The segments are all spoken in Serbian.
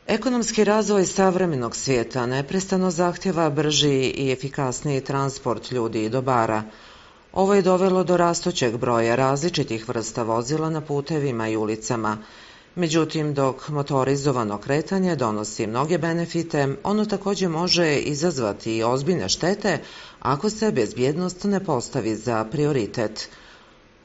Ekonomski razvoj savremenog svijeta neprestano zahtjeva brži i efikasniji transport ljudi i dobara. Ovo je dovelo do rastućeg broja različitih vrsta vozila na putevima i ulicama. Međutim, dok motorizovano kretanje donosi mnoge benefite, ono također može izazvati i ozbiljne štete ako se bezbjednost ne postavi za prioritet.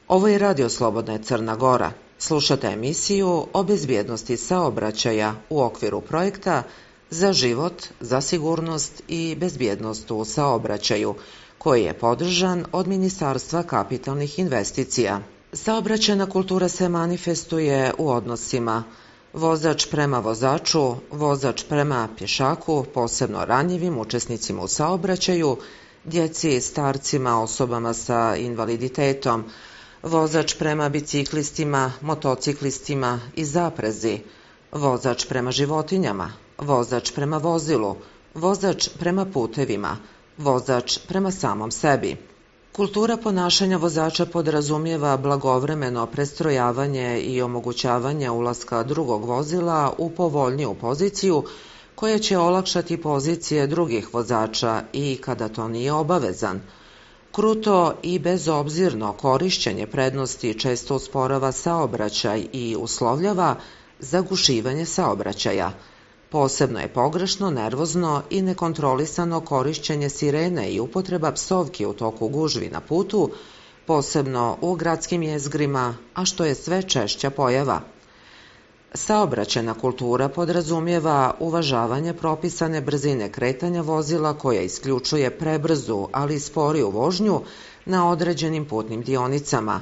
Ovo je Radio Slobodna Crna Gora. Slušate emisiju o bezbjednosti saobraćaja u okviru projekta Za život, za sigurnost i bezbjednost u saobraćaju, koji je podržan od Ministarstva kapitalnih investicija. Saobraćajna kultura se manifestuje u odnosima vozač prema vozaču, vozač prema pješaku, posebno ranjivim učesnicima u saobraćaju, djeci, starcima, osobama sa invaliditetom, vozač prema biciklistima, motociklistima i zaprezi, vozač prema životinjama, vozač prema vozilu, vozač prema putevima, vozač prema samom sebi. Kultura ponašanja vozača podrazumijeva blagovremeno prestrojavanje i omogućavanje ulaska drugog vozila u povoljniju poziciju koja će olakšati pozicije drugih vozača i kada to nije obavezan. Kruto i bezobzirno korišćenje prednosti često usporava saobraćaj i uslovljava zagušivanje saobraćaja. Posebno je pogrešno, nervozno i nekontrolisano korišćenje sirene i upotreba psovki u toku gužvi na putu, posebno u gradskim jezgrima, a što je sve češća pojava. Saobraćajna kultura podrazumijeva uvažavanje propisane brzine kretanja vozila koja isključuje prebrzu, ali sporiju vožnju na određenim putnim dionicama.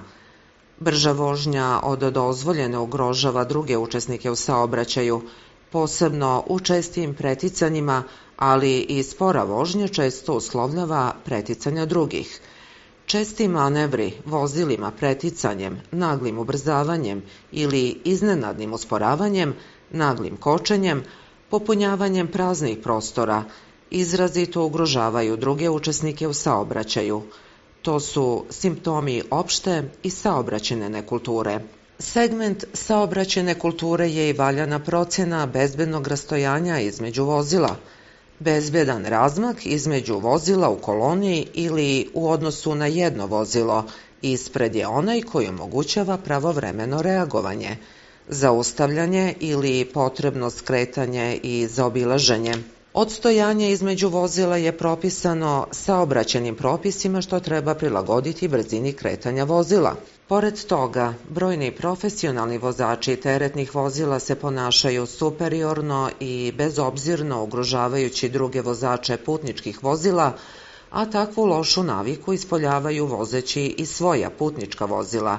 Brža vožnja od dozvoljene ugrožava druge učesnike u saobraćaju, posebno u čestim preticanjima, ali i spora vožnja često uslovljava preticanja drugih. Česti manevri vozilima preticanjem, naglim ubrzavanjem ili iznenadnim usporavanjem, naglim kočenjem, popunjavanjem praznih prostora, izrazito ugrožavaju druge učesnike u saobraćaju. To su simptomi opšte i saobraćajne nekulture. Segment saobraćajne kulture je i valjana procjena bezbednog rastojanja između vozila, bezbedan razmak između vozila u koloni ili u odnosu na jedno vozilo. Ispred je onaj koji omogućava pravovremeno reagovanje, zaustavljanje ili potrebno skretanje i zaobilaženje. Odstojanje između vozila je propisano saobraćajnim propisima što treba prilagoditi brzini kretanja vozila. Pored toga, brojni profesionalni vozači teretnih vozila se ponašaju superiorno i bezobzirno ugrožavajući druge vozače putničkih vozila, a takvu lošu naviku ispoljavaju vozeći i svoja putnička vozila.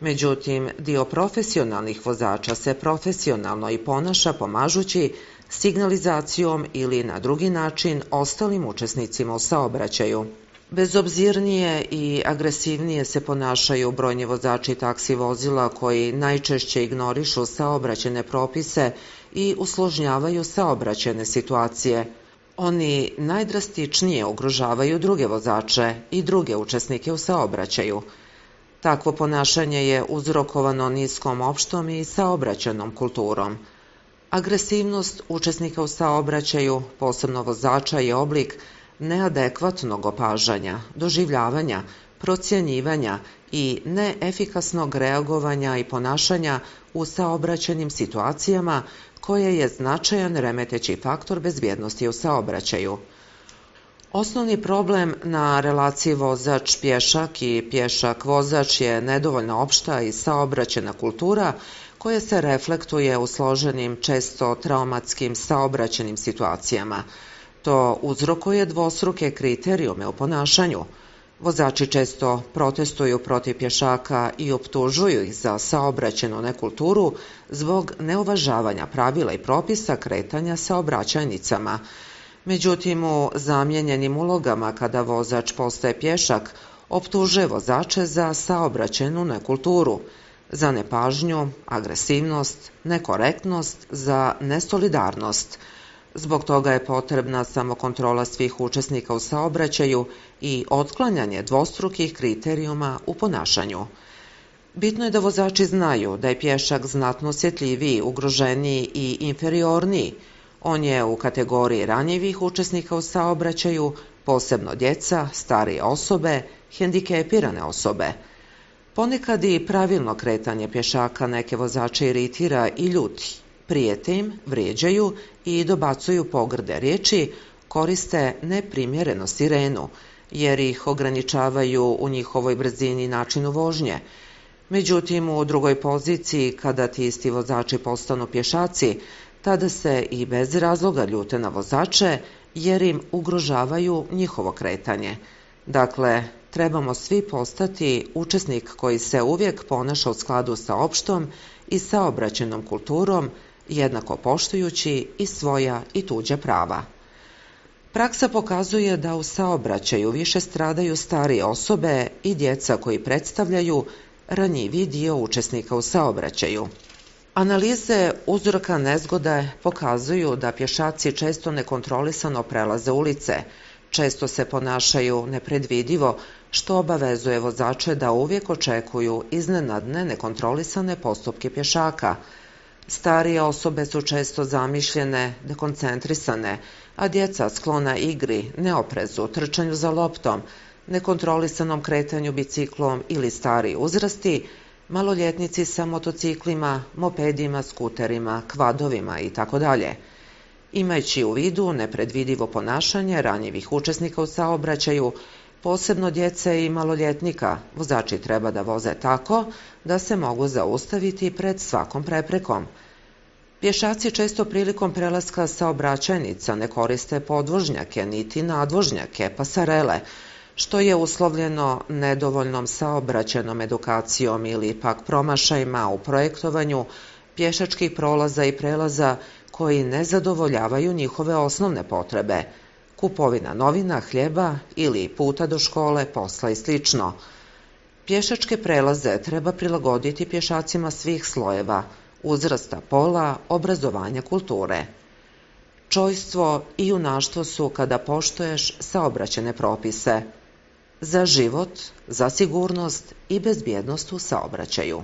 Međutim, dio profesionalnih vozača se profesionalno i ponaša pomažući signalizacijom ili na drugi način ostalim učesnicima u saobraćaju. Bezobzirnije i agresivnije se ponašaju brojni vozači taksi vozila koji najčešće ignorišu saobraćajne propise i usložnjavaju saobraćajne situacije. Oni najdrastičnije ugrožavaju druge vozače i druge učesnike u saobraćaju. Takvo ponašanje je uzrokovano niskom opštom i saobraćajnom kulturom. Agresivnost učesnika u saobraćaju, posebno vozača, je oblik neadekvatnog opažanja, doživljavanja, procjenjivanja i neefikasnog reagovanja i ponašanja u saobraćajnim situacijama koje je značajan remeteći faktor bezbjednosti u saobraćaju. Osnovni problem na relaciji vozač-pješak i pješak-vozač je nedovoljno opšta i saobraćajna kultura koja se reflektuje u složenim, često traumatskim saobraćajnim situacijama. To uzrokuje dvostruke kriterijume u ponašanju. Vozači često protestuju protiv pješaka i optužuju ih za saobraćajnu nekulturu zbog neuvažavanja pravila i propisa kretanja saobraćajnicama. Međutim, u zamijenjenim ulogama kada vozač postaje pješak, optužuje vozače za saobraćajnu nekulturu, za nepažnju, agresivnost, nekorektnost, za nesolidarnost. Zbog toga je potrebna samokontrola svih učesnika u saobraćaju i otklanjanje dvostrukih kriterijuma u ponašanju. Bitno je da vozači znaju da je pješak znatno osjetljiviji, ugroženiji i inferiorniji. On je u kategoriji ranjivih učesnika u saobraćaju, posebno djeca, starije osobe, hendikepirane osobe. Ponekad i pravilno kretanje pješaka neke vozače iritira i ljuti. Prijete im, vrijeđaju i dobacuju pogrde riječi, koriste neprimjereno sirenu, jer ih ograničavaju u njihovoj brzini i načinu vožnje. Međutim, u drugoj poziciji, kada ti isti vozači postanu pješaci, tada se i bez razloga ljute na vozače, jer im ugrožavaju njihovo kretanje. Dakle, trebamo svi postati učesnik koji se uvijek ponaša u skladu sa opštom i saobraćajnom kulturom, jednako poštujući i svoja i tuđa prava. Praksa pokazuje da u saobraćaju više stradaju starije osobe i djeca koji predstavljaju ranjiviji dio učesnika u saobraćaju. Analize uzroka nezgode pokazuju da pješaci često nekontrolisano prelaze ulice, često se ponašaju nepredvidivo, što obavezuje vozače da uvijek očekuju iznenadne nekontrolisane postupke pješaka. Starije osobe su često zamišljene, dekoncentrisane, a djeca sklona igri, neoprezu, trčanju za loptom, nekontrolisanom kretanju biciklom ili stariji uzrasti, maloljetnici sa motociklima, mopedima, skuterima, kvadovima itd. Imajući u vidu nepredvidivo ponašanje ranjivih učesnika u saobraćaju, posebno djece i maloljetnika, vozači treba da voze tako da se mogu zaustaviti pred svakom preprekom. Pješaci često prilikom prelaska saobraćajnica ne koriste podvožnjake niti nadvožnjake, pasarele, što je uslovljeno nedovoljnom saobraćajnom edukacijom ili pak promašajima u projektovanju pješačkih prolaza i prelaza koji ne zadovoljavaju njihove osnovne potrebe, kupovina novina, hljeba ili puta do škole, posla i sl. Pješačke prelaze treba prilagoditi pješacima svih slojeva, uzrasta, pola, obrazovanja, kulture. Čojstvo i junaštvo su kada poštuješ saobraćajne propise za život, za sigurnost i bezbjednost u saobraćaju.